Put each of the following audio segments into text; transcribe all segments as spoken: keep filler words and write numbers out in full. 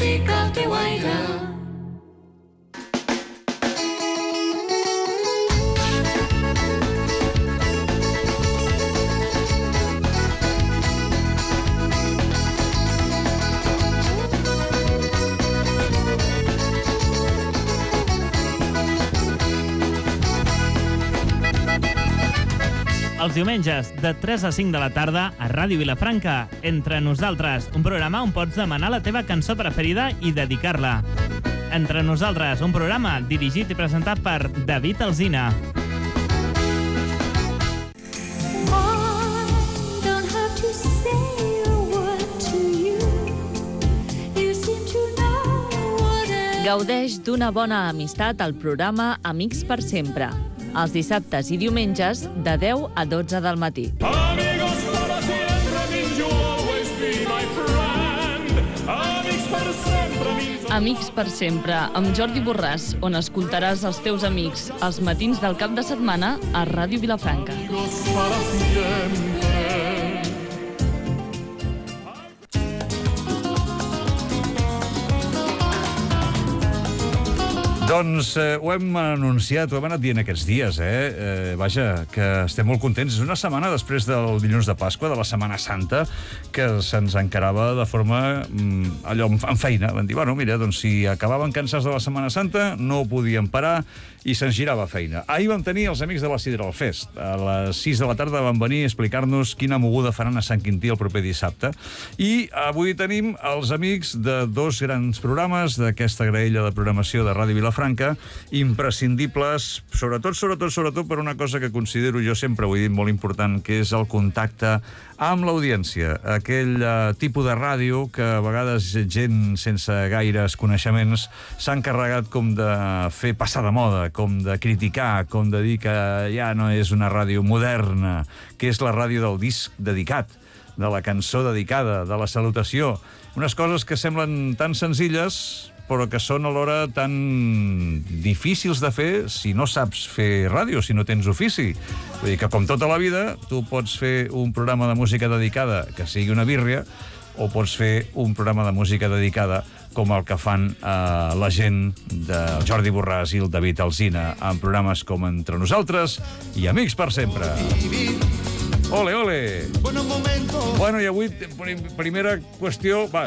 música al teu aire. Els diumenges, de tres a cinc de la tarda, a Ràdio Vilafranca, Entre Nosaltres, un programa on pots demanar la teva cançó preferida i dedicar-la. Entre Nosaltres, un programa dirigit i presentat per David Alsina. Gaudeix d'una bona amistat al programa Amics per Sempre, els dissabtes i diumenges de deu a dotze del matí. Amigos para siempre means you'll always be my friend. Amics per sempre means... Amics per Sempre, amb Jordi Borràs, on escoltaràs els teus amics els matins del cap de setmana a Ràdio Vilafranca. Amigos para siempre. Doncs eh, ho hem anunciat, ho hem anat dient aquests dies, eh? eh? Vaja, que estem molt contents. És una setmana després del dilluns de Pasqua, de la Setmana Santa, que se'ns encarava de forma mm, allò, en feina. Van dir, bueno, mira, doncs si acabaven cansats de la Setmana Santa, no ho podien parar i se'ns girava feina. Ahir vam tenir els amics de la Sidral Fest. A les sis de la tarda van venir a explicar-nos quina moguda faran a Sant Quintí el proper dissabte. I avui tenim els amics de dos grans programes d'aquesta graella de programació de Ràdio Vilafranca, imprescindibles, sobretot, sobretot, sobretot per una cosa que considero jo sempre, ho he dit, molt important, que és el contacte amb l'audiència. Aquell uh, tipus de ràdio que a vegades gent sense gaires coneixements s'ha encarregat com de fer passar de moda, com de criticar, com de dir que ja no és una ràdio moderna, que és la ràdio del disc dedicat, de la cançó dedicada, de la salutació. Unes coses que semblen tan senzilles, però que són alhora tan difícils de fer si no saps fer ràdio, si no tens ofici. Vull dir que, com tota la vida, tu pots fer un programa de música dedicada que sigui una bírria, o pots fer un programa de música dedicada com el que fan eh, la gent del Jordi Borràs i el David Alsina en programes com Entre Nosaltres i Amics per Sempre. Ole, ole! Bueno, i avui, primera qüestió... Va,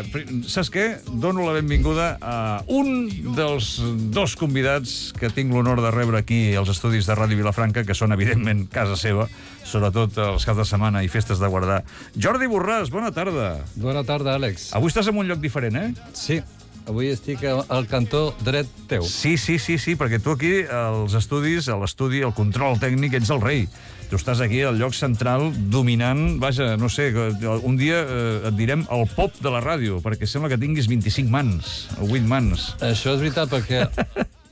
saps què? Dono la benvinguda a un dels dos convidats que tinc l'honor de rebre aquí als estudis de Ràdio Vilafranca, que són, evidentment, casa seva, sobretot els caps de setmana i festes de guardar. Jordi Borràs, bona tarda. Bona tarda, Àlex. Avui estàs en un lloc diferent, eh? Sí. Avui estic al cantó dret teu. Sí, sí, sí, sí, perquè tu aquí, als estudis, a l'estudi, al control tècnic, ets el rei. Tu estàs aquí al lloc central, dominant, vaja, no sé, un dia eh, et direm el pop de la ràdio, perquè sembla que tinguis vint-i-cinc mans, o vuit mans. Això és veritat, perquè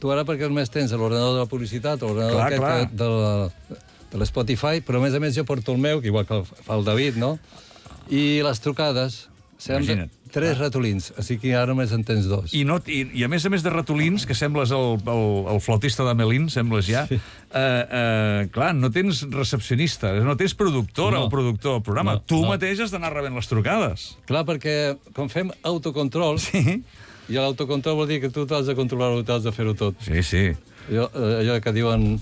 tu ara perquè només tens l'ordenador de la publicitat, l'ordenador Clar, aquest clar. que- de la- de l'Spotify, però a més a més jo porto el meu, que igual que el fa el David, no? I les trucades, sembla Imagina't. tres ratolins, així que ara només en tens dos. I, no, i, I a més a més de ratolins, que sembles el, el, el flautista de Melín, sembles ja, sí. eh, eh, clar, no tens recepcionista, no tens productora No. o productor del programa. No, tu no. mateix has d'anar rebent les trucades. Clar, perquè com fem autocontrol, Sí, i l'autocontrol vol dir que tu t'has de controlar-ho, t'has de fer-ho tot. sí, sí. Allò, eh, allò que diuen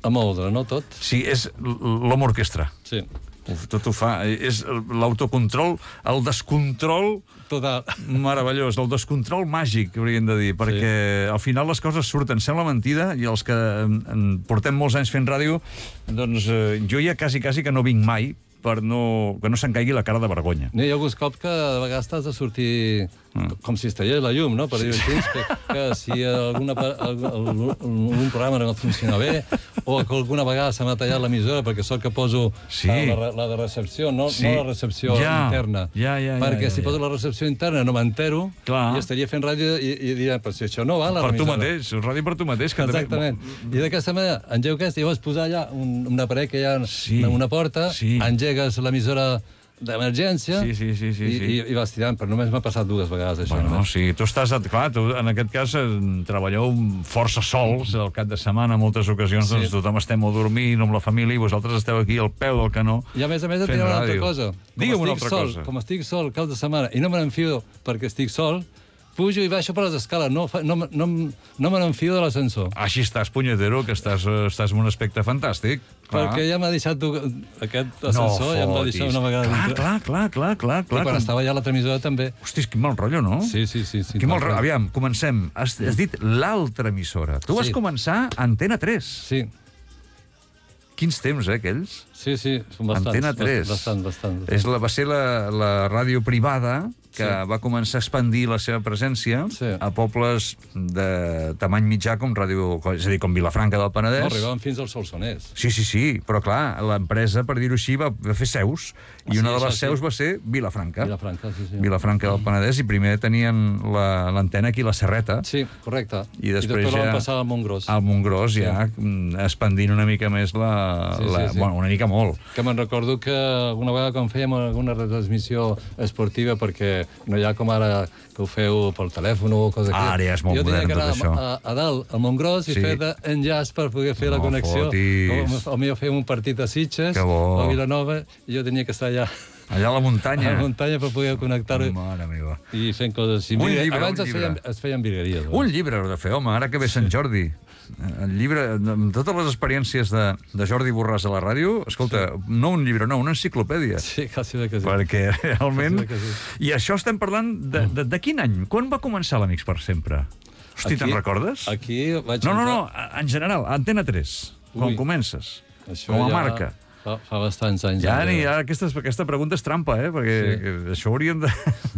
a moldre, no tot? Sí, és l'home orquestra. Sí. Uf, tot ho fa. És l'autocontrol, el descontrol Total. meravellós, el descontrol màgic, hauríem de dir, perquè al final les coses surten. Sembla mentida, i els que en, en portem molts anys fent ràdio, doncs eh, jo ja quasi, quasi que no vinc mai per no, que no se'n caigui la cara de vergonya. Hi ha alguns cops que de vegades t'has de sortir mm. com si es tallés la llum, no? Per dir-ho així, que, que si alguna, algun, algun programa no funciona bé, o que alguna vegada se m'ha tallat l'emissora perquè sóc que poso Sí. la, la de recepció, no, Sí. no la recepció Ja. interna. Ja, ja, ja, perquè ja, si ja. poso la recepció interna no m'entero Clar. i estaria fent ràdio i, i diria, però si això no va, la Per tu remissora. mateix, ràdio per tu mateix. Que Exactament. També... I d'aquesta manera, engego aquesta, i llavors posar allà un, un aparell que hi ha Sí. una, una porta, Sí. engegues l'emissora d'emergència, Sí, sí, sí, sí, i, sí. i, i vas tirant, però només m'ha passat dues vegades, això. Bueno, només. sí, tu estàs... Clar, tu, en aquest cas, eh, treballeu força sols al cap de setmana, en moltes ocasions, Sí. doncs tothom estem a dormir, amb la família, i vosaltres esteu aquí al peu del canó. I a més a més et fent diré una altra ràdio. cosa. Com Digue'm una estic altra sol, cosa. Com estic sol cap de setmana i no me n'enfio perquè estic sol, pujo i baixo per les escales, no, fa- no, no, no me n'enfio de l'ascensor. Així estàs, punyetero, que estàs, eh, estàs en un aspecte fantàstic. Clar. Perquè ja m'ha deixat tu, aquest ascensor, ja em va deixar una vegada Clar, dintre. clar, clar, clar, clar, I clar. quan estava ja a la transmissora també. Hosti, quin mal rotllo, no? Sí, sí, sí. sí Quin mal tal rotllo. qual. Aviam, comencem. Has, has dit l'altra emissora. Tu vas Sí. començar a Antena tres. Sí, Quins temps, eh, aquells? sí, sí, són bastants. Antena tres. Bastant, bastant. bastant. És la, va ser la, la ràdio privada que Sí. va començar a expandir la seva presència Sí. a pobles de tamany mitjà com ràdio, és a dir, com Vilafranca del Penedès. No, arribaven fins al Solsonès. Sí, sí, sí, però clar, l'empresa, per dir-ho així, va, va fer seus, i Ah, una sí, de les això sí. seus va ser Vilafranca. Vilafranca, sí, sí. Vilafranca del Penedès, i primer tenien la- l'antena aquí a la Serreta, Sí, correcte. I després la ja- van passar al Montgròs. al Montgròs, ja mm, expandint una mica més la... Sí, sí, la sí. Bueno, una mica molt. Que me'n recordo que alguna vegada quan fèiem alguna retransmissió esportiva, perquè no hi ha com ara que ho feu pel telèfon o cosa aquí. Ara ja és molt jo modern, tenia que tot anar això. a, a dalt, al Montgròs, i Sí. fer d'enllaç per poder fer la No connexió. fotis. O, o millor fèiem un partit a Sitges Que bo. o a Vilanova, i jo tenia que estar allà Allà a la a muntanya. la muntanya per poder connectar-ho Mare meva. i fent coses així. Un Mira, llibre, abans un es llibre. feien, es feien virgueries. Un llibre heu de fer, home, ara que ve Sant Jordi. El llibre, amb totes les experiències de, de Jordi Borràs a la ràdio, escolta, sí. no un llibre, no, una enciclopèdia. Sí, quasi bé que sí. Perquè realment... Sí, que sí. I això estem parlant de, de, de quin any? Quan va començar l'Amics per sempre? Hosti, te'n recordes? Aquí vaig No, no, no, entrar- en general, Antena tres, quan Ui. comences, Això com a ja marca. Fa, fa bastants anys. Ja, enrere. ni, ara aquesta, aquesta pregunta és trampa, eh? Perquè sí. això hauríem de...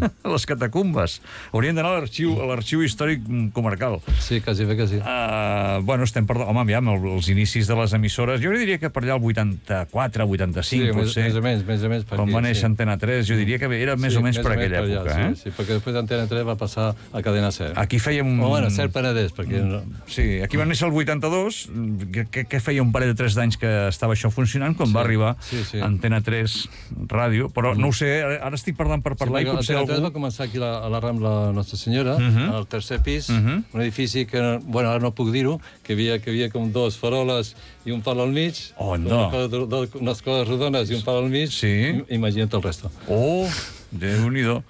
a les catacumbes. Hauríem d'anar a l'arxiu a l'arxiu històric comarcal. Sí, quasi bé que sí. Uh, bueno, estem parlant... Home, aviam, el- els inicis de les emissores, jo diria que per allà el vuitanta-quatre, vuitanta-cinc, sí, més, potser. més o menys, més o menys. Per Quan aquí, va néixer sí. Antena tres, jo diria que era més Sí, o menys per aquella allà, època, sí, eh? Sí, perquè després d'Antena tres va passar a Cadena Ser. Aquí fèiem... O bueno, Ser Penedès, perquè... No... Sí, aquí va néixer el vuitanta-dos, que, que, que feia un parell de tres d'anys que estava això funcionant, quan Sí, va arribar sí, sí. Antena tres Ràdio, però no ho sé, ara, ara estic parlant per parlar sí, i potser Antena tres algú... va començar aquí a la, a la Rambla Nostra Senyora, Mhm. al tercer pis, Mhm. un edifici que, bueno, ara no puc dir-ho, que hi havia, que hi havia com dos faroles i un pal al mig, Oh, no. una cosa, do, unes coses rodones i un pal al mig, Sí. i- imagina't el resto. Oh, Déu-n'hi-do.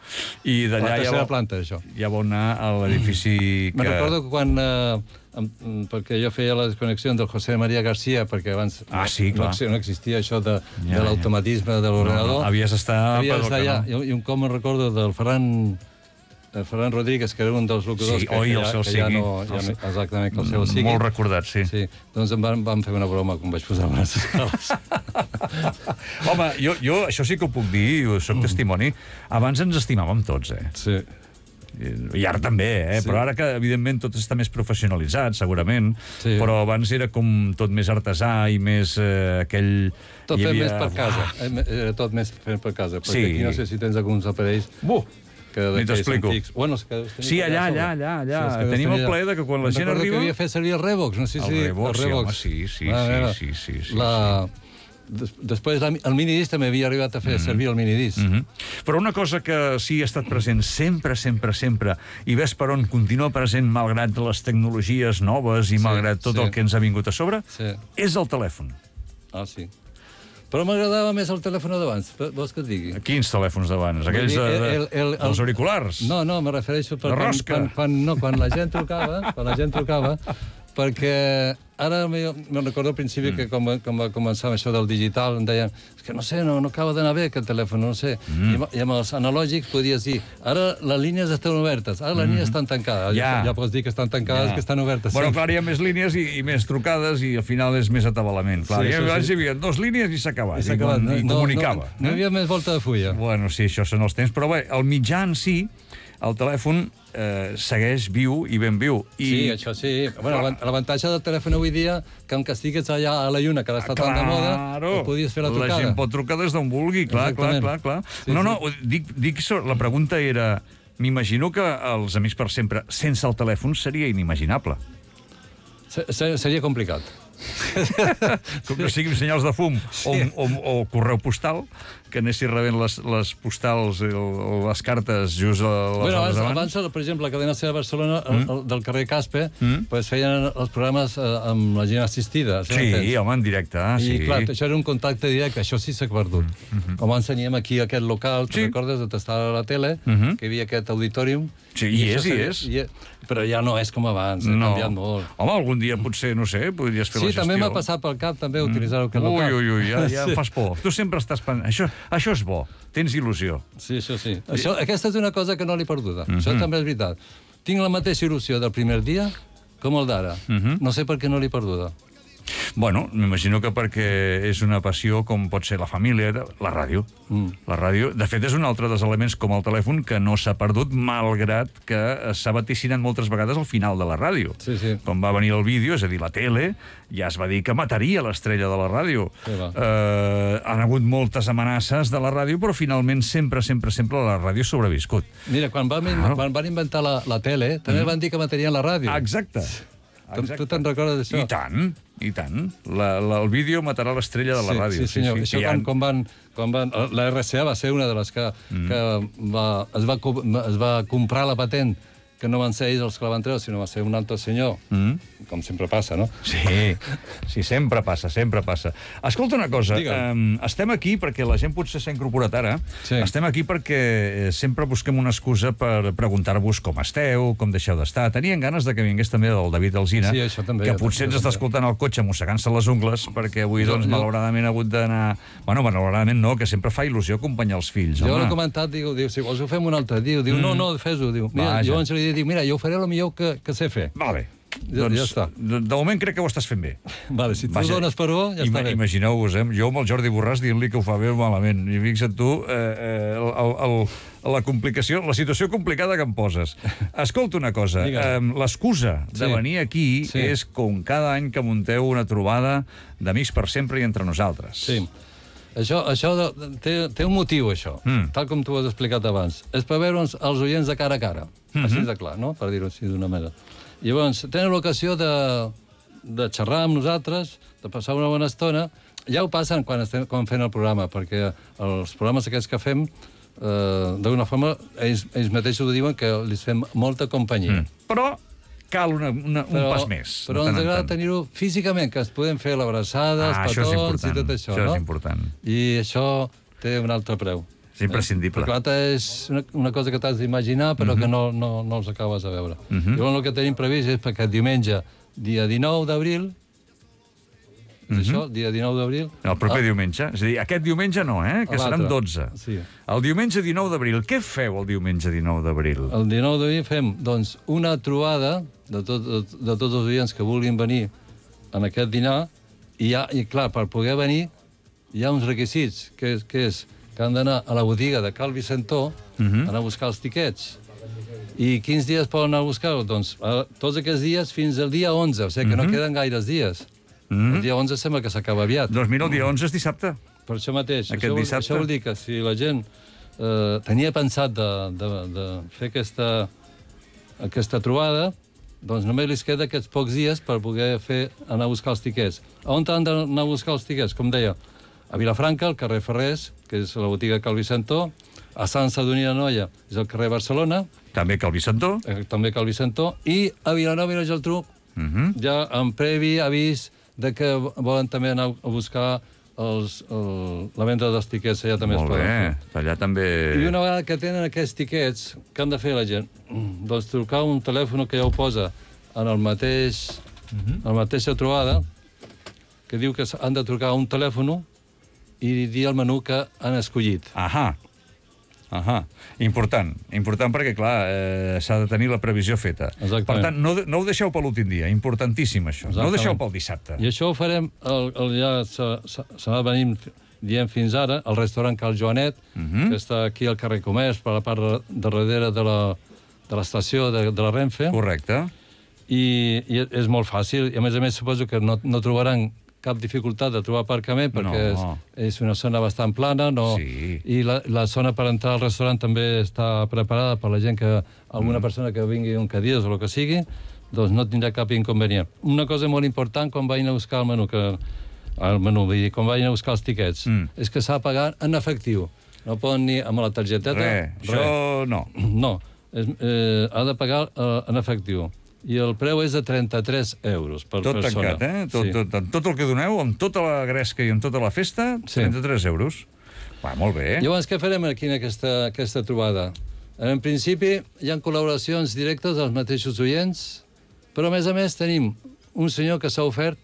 I La d'allà ja, tercera va- planta, això. ja va anar a l'edifici que... Me'n recordo que quan... Eh, em- mm, perquè jo feia la desconnexió del José María García, perquè abans Ah, sí, no, clar. no, no existia això de, Ja, de l'automatisme de No, l'ordenador. no, havies d'estar... Havia per d'estar el allà. canó. I, I un com me'n recordo del Ferran, el Ferran Rodríguez, que era un dels locutors Sí, que, oi, que, el ja, seu que ja sigui. no... Ja, El seu- no- exactament, que el seu sigui. Molt recordat, sí. Sí, doncs em van, van fer una broma quan vaig posar les escales. Home, jo, jo això sí que ho puc dir, jo soc testimoni. Abans ens estimàvem tots, eh? Sí. I ara també, eh? Sí. Però ara que, evidentment, tot està més professionalitzat, segurament, Sí. però abans era com tot més artesà i més eh, aquell... Tot hi fet havia- més per casa. Eh, Era tot més fet per casa. Perquè Sí. aquí no sé si tens alguns aparells Buh! que Ni d'aquells t'explico. antics. Bueno, és que deus tenir Sí, allà, sobre. allà, allà, allà. és que deus Tenim el tenir allà. plaer de que quan la Me'n gent recordo arriba- que havia fet servir el Revox, no sé El si... Revox, sí, home, sí, sí, Mare sí, meva. sí, sí, sí, La... Des, després la, el minidisc també havia arribat a fer servir el minidisc. Mm -hmm. Però una cosa que sí ha estat present sempre, sempre, sempre, i ves per on continua present malgrat les tecnologies noves i Sí, malgrat tot sí. el que ens ha vingut a sobre, Sí. és el telèfon. Ah, sí. Però m'agradava més el telèfon d'abans, vols que et digui? Quins telèfons d'abans? Aquells de, de, El- el- el- els auriculars? No, no, me refereixo per De quan, rosca. quan, quan, no, quan la gent trucava, quan la gent trucava, perquè ara me, me recordo al principi mm. que quan, va- quan va començar això del digital em deien, és que no sé, no, no acaba d'anar bé aquest telèfon, no sé. Mm. I, amb- I amb els analògics podies dir, ara les línies estan obertes, ara les línies estan tancades. Ja. Ja, ja pots dir que estan tancades, que estan obertes. Bueno, sí. clar, hi ha més línies i, i més trucades i al final és més atabalament. Clar, Sí, sí, això abans sí. hi havia dos línies i s'ha acabat. I s'ha acabat. I, i comunicava. No, no, no hi havia més volta de fulla. Bueno, sí, això són els temps. Però bé, el mitjà en si, el telèfon, eh, segueix viu i ben viu. I... Sí, això sí. Bueno, l'avant- l'avantatge del telèfon avui dia, que encara estigués allà a la lluna, que ara està tan de moda, Claro. ho podies fer la La trucada. gent pot trucar des d'on vulgui, clar, clar, Exactament. clar, clar. Sí, no, sí. no, dic, dic, so- la pregunta era... M'imagino que els Amics per Sempre, sense el telèfon, seria inimaginable. Se- se- Seria complicat. Com que siguin senyals de fum o, o, o correu postal, que anessis rebent les, les postals o les cartes just a les bueno, hores abans, abans. abans, per exemple, la cadena C de Barcelona, mm. el, el, del carrer Caspe, Mm. pues feien els programes eh, amb la gent assistida. Sí, home, en directe. Ah, I, sí. clar, això era un contacte directe, això sí s'ha perdut. Mm -hmm. Com ens teníem aquí, aquest local, tu Sí. recordes, de tastar a la tele, Mm -hmm. que hi havia aquest auditorium. Sí, hi és, això hi s'ha- és. hi és. Però ja no és com abans, ha No. canviat molt. Home, algun dia potser, no sé, podries fer Sí, la gestió. també m'ha passat pel cap també utilitzar aquest Ui, local. ui, ui, ja, ja Sí. em fas por. Tu sempre estàs pensant... Això, això és bo, tens il·lusió. Sí, això sí. Això, aquesta és una cosa que no l'he perduda. Mhm. Això també és veritat. Tinc la mateixa il·lusió del primer dia com el d'ara. Mhm. No sé per què no l'he perduda. Bueno, m'imagino que perquè és una passió com pot ser la família, la ràdio. Mm. La ràdio, de fet, és un altre dels elements com el telèfon que no s'ha perdut, malgrat que s'ha vaticinat moltes vegades al final de la ràdio. Sí, sí. Quan va venir el vídeo, és a dir, la tele, ja es va dir que mataria l'estrella de la ràdio. Sí, va. eh, han hagut moltes amenaces de la ràdio, però finalment sempre, sempre, sempre la ràdio ha sobreviscut. Mira, quan van, Claro. quan van inventar la, la tele, també Mm. van dir que matarien la ràdio. Exacte. Tu, tu te'n recordes d'això? I tant, i tant. La, la, el vídeo matarà l'estrella de la sí, ràdio. Sí, senyor. Sí, sí, Això que quan, ja- quan, van, quan van... La R C A va ser una de les que, mm. que va, es, va, co- es va comprar la patent, que no van ser ells els que la van treure, sinó va ser un altre senyor, Mm. com sempre passa, no? Sí, sí, sempre passa, sempre passa. Escolta una cosa, Digue'm. eh, estem aquí perquè la gent potser s'ha incorporat ara, Sí. estem aquí perquè eh, sempre busquem una excusa per preguntar-vos com esteu, com deixeu d'estar. Tenien ganes de que vingués també el David Alsina, Sí, això també, que jo potser també, ens està també. escoltant al cotxe mossegant-se les ungles, perquè avui, Jo- doncs, jo- malauradament ha hagut d'anar... Bueno, malauradament no, que sempre fa il·lusió acompanyar els fills, Jo home. l'he comentat, diu, diu, si vols ho fem un altre dia. Diu, no, no, fes-ho. Diu, mira, Vaja. jo llavors li dic, mira, jo ho faré el millor que, que sé fer. Vale. Ja- doncs, ja està. De, de moment crec que ho estàs fent bé. Vale, si tu Vaja, dones per bo, ja ima- està bé. Imagineu-vos, eh? Jo amb el Jordi Borràs dient-li que ho fa bé o malament. I fixa't tu, eh, eh, el, el, el, la complicació, la situació complicada que em poses. Escolta una cosa, eh, Digue'm. l'excusa de Sí. venir aquí Sí. és com cada any que munteu una trobada d'Amics per sempre i entre nosaltres. Sí. Això, això de, té, té un motiu, això, Mm. tal com tu has explicat abans. És per veure'ns els oients de cara a cara. Mm -hmm. Així de clar, no? Per dir-ho així d'una manera. Llavors, tenen l'ocasió de, de xerrar amb nosaltres, de passar una bona estona. Ja ho passen quan estem quan fent el programa, perquè els programes aquests que fem, eh, d'alguna forma, ells, ells mateixos ho diuen que els fem molta companyia. Mm. Però cal una, una, un Però, pas més. però de tant ens en agrada tant. tenir-ho físicament, que es podem fer l'abraçada, Ah, els això és petons i important. tot això, Això no? és important. I això té un altre preu. És imprescindible. Perquè l'altre és una, una cosa que t'has d'imaginar, però mm -hmm. que no, no, no els acabes de veure. Mm -hmm. Llavors el que tenim previst és perquè diumenge, dia dinou d'abril, és això, dia dinou d'abril... El proper ah, diumenge. És a dir, aquest diumenge no, eh? Que seran L'altre. dotze. Sí. El diumenge dinou d'abril. Què feu el diumenge dinou d'abril? El dinou d'abril fem doncs, una trobada de, tot, de, de tots els oients que vulguin venir en aquest dinar, i, ja, i clar, per poder venir hi ha uns requisits, que és que, és, que han d'anar a la botiga de Cal Vicentó, uh -huh. anar a buscar els tiquets. I quins dies poden anar a buscar-ho? Doncs a, tots aquests dies fins al dia onze, o sigui que uh -huh. no queden gaires dies. Uh -huh. El dia onze sembla que s'acaba aviat. Doncs mira, el dia onze és dissabte. Per això mateix. Aquest això, vol, dissabte. això vol dir que si la gent eh, tenia pensat de, de, de fer aquesta, aquesta trobada, doncs només li queda aquests pocs dies per poder fer, anar a buscar els tiquets. A on han d'anar a buscar els tiquets? Com deia, a Vilafranca, al carrer Ferrers, que és la botiga Cal Vicentó, a Sant Sadurní d'Anoia, és el carrer Barcelona, També Cal Vicentó. eh, també Cal Vicentó, i a Vilanova i la Geltrú, Uh -huh. ja amb previ avís de que volen també anar a buscar els, el, la venda dels tiquets, allà també Molt es poden bé. fer. Allà també... I una vegada que tenen aquests tiquets, què han de fer la gent? Doncs trucar un telèfon que ja ho posa en el mateix, en la mateixa trobada, que diu que han de trucar a un telèfon i dir el menú que han escollit. Ahà. Ahà. Important. Important perquè, clar, eh, s'ha de tenir la previsió feta. Exactament. Per tant, no, no ho deixeu per l'últim dia. Importantíssim, això. No ho deixeu pel dissabte. I això ho farem, el, el, ja se n'ha venint dient fins ara, el restaurant Cal Joanet, uh -huh. que està aquí al carrer Comerç, per la part de darrere de la, de l'estació de, de la Renfe. Correcte. I, I és molt fàcil. I, a més a més, suposo que no, no trobaran cap dificultat de trobar aparcament, perquè No. és, és una zona bastant plana, no? Sí. I la, la zona per entrar al restaurant també està preparada per la gent que, alguna mm. persona que vingui un cadires o el que sigui, doncs no tindrà cap inconvenient. Una cosa molt important quan vagin a buscar el menú, que al menú, vull dir, quan vagin a buscar els tiquets, Mm. és que s'ha de pagar en efectiu. No poden ni amb la targeteta... Res, això no. No, és, eh, ha de pagar eh, en efectiu. I el preu és de trenta-tres euros per Tot persona. tancat, eh? Tot, Sí. tot, tot, tot el que doneu, amb tota la gresca i amb tota la festa, Sí. trenta-tres euros. Va, molt bé. Llavors, què farem aquí en aquesta, aquesta trobada? En principi, hi ha col·laboracions directes dels mateixos oients, però, a més a més, tenim un senyor que s'ha ofert,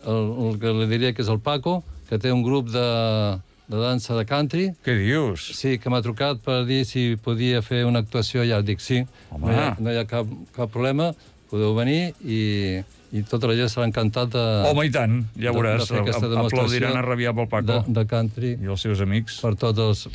el, el que li diria que és el Paco, que té un grup de, de dansa de country. Què dius? Sí, que m'ha trucat per dir si podia fer una actuació. Ja dic sí, Home. no hi ha, no hi ha cap, cap problema, podeu venir i, i tota la gent serà encantat de... Home, i tant, ja de- veuràs. de fer aquesta Apl- demostració Aplaudiran a rabiar pel Paco de, de country i els seus amics. per tots els...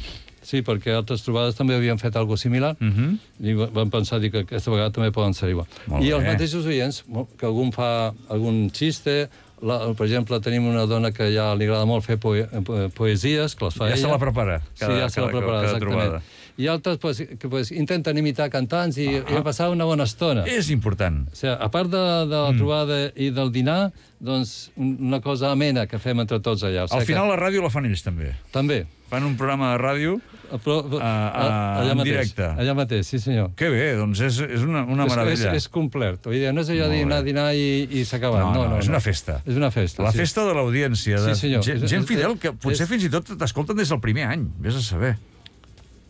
Sí, perquè altres trobades també havien fet alguna similar, Uh -huh. i va- vam pensar dir que aquesta vegada també poden ser igual. Molt I els bé. mateixos oients, mo- que algun fa algun xiste, la, per exemple, tenim una dona que ja li agrada molt fer poe, po, poesies, que les fa Ja ella. se la prepara, cada- sí, ja se la cada- prepara, cada exactament. trobada. I altres pues, que pues, intenten imitar cantants i, ah. i passar una bona estona. És important. O sigui, a part de, de la Mm. trobada i del dinar, doncs un- una cosa amena que fem entre tots allà. O sigui Al final que, la ràdio la fan ells també. també. Fan un programa de ràdio. Però, a- allà en mateix, directe. Allà mateix, sí senyor. Que bé, doncs és, és una, una És, meravella. és, és complet. Vull dir, no és allò de Molt dinar, bé. dinar i, i s'ha acabat. No, No, no, no, és no. una festa. És una festa, La sí. festa de l'audiència, de Sí, senyor. gent, És- gent és- fidel que potser és- fins i tot t'escolten des del primer any, vés a saber.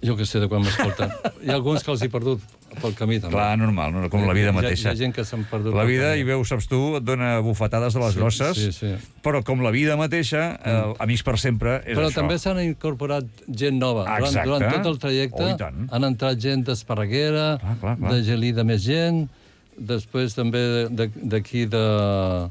Jo que sé de quan m'escolten. Hi ha alguns que els he perdut pel camí, també. Clar, normal, no, com la vida Hi ha- mateixa. Hi ha gent que s'han perdut La pel vida, camí. i veus, saps tu, et dona bufetades de les Sí, grosses, sí, sí. però com la vida mateixa, eh, Amics per sempre, és Però això. també s'han incorporat gent nova. Durant, Exacte. durant tot el trajecte Oh, i tant. han entrat gent d'Esparreguera, Clar, clar, clar. de Gelida més gent, després també de- de- d'aquí de...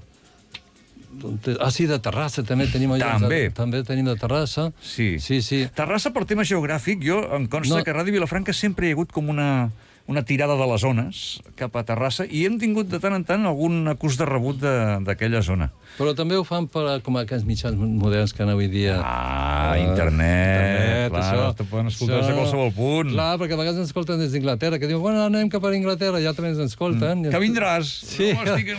de... Ah, sí, de Terrassa també tenim... allà- També. També tenim de Terrassa. Sí. Sí, sí. Terrassa, per tema geogràfic, jo em consta No. que a Ràdio Vilafranca sempre hi ha hagut com una, una tirada de les zones cap a Terrassa i hem tingut de tant en tant algun acús de rebut de- d'aquella zona. Però també ho fan per, com aquests mitjans moderns que han avui dia. Ah, Eh, internet, clar, això, te poden escoltar des de això. qualsevol punt. Clar, perquè a vegades ens escolten des d'Inglaterra, que diuen, bueno, anem cap a Inglaterra, ja també ens escolten. Que vindràs. Sí. No, estic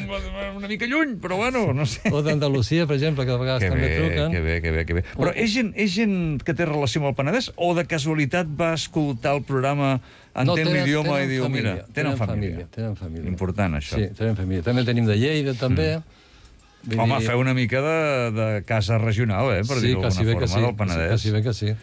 una mica lluny, però bueno, no sé. O d'Andalusia, per exemple, que a vegades Que també bé, truquen. que bé, que bé, que bé. Però és gent, és gent que té relació amb el Penedès o de casualitat va escoltar el programa, entén tenen- l'idioma i tenen diu, família, mira, tenen família. Tenen família. Important, això. Sí, tenen família. També tenim de Lleida, també. Vull Home, dir- feu una mica de, de casa regional, eh, per sí, dir-ho quasi d'alguna bé que forma, sí, del Penedès. quasi bé que sí.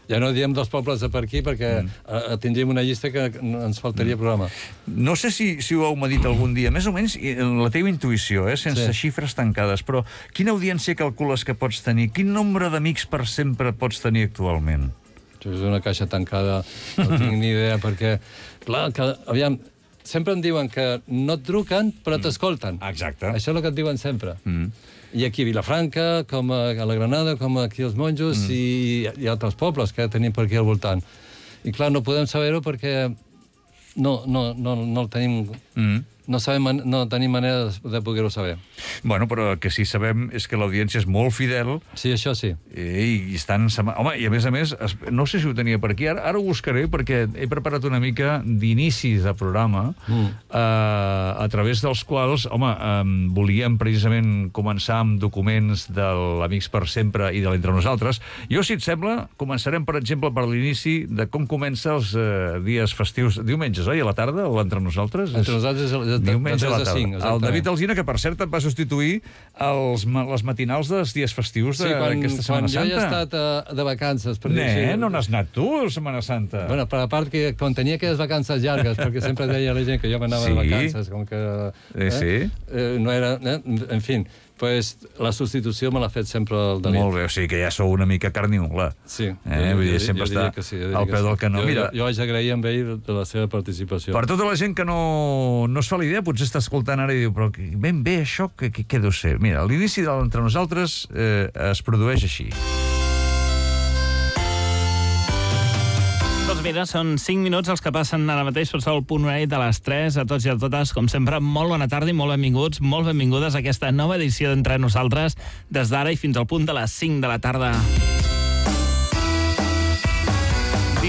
Ja no diem dels pobles de per aquí, perquè mm. tindríem una llista que ens faltaria Mm. programa. No sé si, si ho heu medit algun dia, més o menys i en la teva intuïció, eh, sense Sí. xifres tancades, però quina audiència calcules que pots tenir? Quin nombre d'amics per sempre pots tenir actualment? Això és una caixa tancada, no tinc ni idea, perquè, clar, que, aviam, sempre em diuen que no et truquen, però t'escolten. Exacte. Això és el que et diuen sempre. Mm. I aquí a Vilafranca, com a, a la Granada, com aquí als Monjos, mm. i, i altres pobles que tenim per aquí al voltant. I clar, no podem saber-ho perquè no, no, no, no el tenim... Mm. No, sabem, man- no tenim manera de, de poder-ho saber. Bueno, però el que sí sabem és que l'audiència és molt fidel Sí, això sí. i, i estan... sema- Home, i a més a més, es- no sé si ho tenia per aquí, ara, ara ho buscaré perquè he preparat una mica d'inicis de programa Mm. eh, a través dels quals, home, eh, volíem precisament començar amb documents de l'Amics per sempre i de l'Entre Nosaltres. Jo, si et sembla, començarem, per exemple, per l'inici de com comença els eh, dies festius, diumenges, oi, a la tarda, l'Entre Nosaltres? Entre nosaltres és de, de, Diumenge a la de tarda. cinc, El David Alsina, que per cert et va substituir els, ma- les matinals dels dies festius Sí, quan, d'aquesta quan Setmana jo Santa. he estat uh, de vacances... Per dir Ne, així. no n'has anat tu, a Setmana Santa. Bueno, per a part que quan tenia aquelles vacances llargues, perquè sempre deia la gent que jo m'anava Sí. de vacances, com que... Eh, sí. Eh, no era... Eh, en fi, pues, la substitució me l'ha fet sempre el David. Molt bé, o sigui que ja sou una mica carn i ungla. Sí. Eh, vull dir, sempre està que sí, jo diria al que peu sí. del canó. Jo, Mira, jo, jo vaig agrair amb ell de la seva participació. per tota la gent que no, no es fa la idea, potser està escoltant ara i diu, però que- ben bé això, què, què, què deu ser? Mira, l'inici de l'Entre Nosaltres eh, es produeix així. Doncs mira, són cinc minuts els que passen ara mateix per sol punt horari de les tres. A tots i a totes, com sempre, molt bona tarda i molt benvinguts, molt benvingudes a aquesta nova edició d'Entre Nosaltres, des d'ara i fins al punt de les cinc de la tarda.